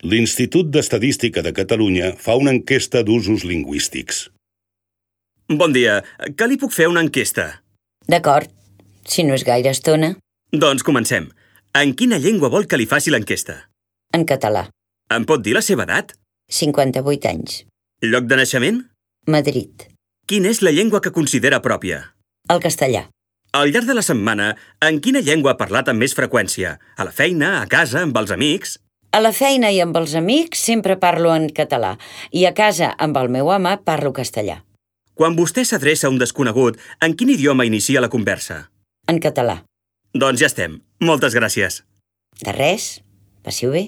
L'Institut d'Estadística de Catalunya fa una enquesta d'usos lingüístics. Bon dia. Que li puc fer una enquesta? D'acord, si no és gaire estona. Doncs comencem. En quina llengua vol que li faci l'enquesta? En català. Em pot dir la seva edat? 58 anys. Lloc de naixement? Madrid. Quina és la llengua que considera pròpia? El castellà. Al llarg de la setmana, en quina llengua ha parlat amb més freqüència? A la feina, a casa, amb els amics? A la feina i amb els amics sempre parlo en català i a casa amb el meu home parlo castellà. Quan vostè s'adreça a un desconegut, en quin idioma inicia la conversa? En català. Doncs ja estem. Moltes gràcies. De res. Passi-ho bé.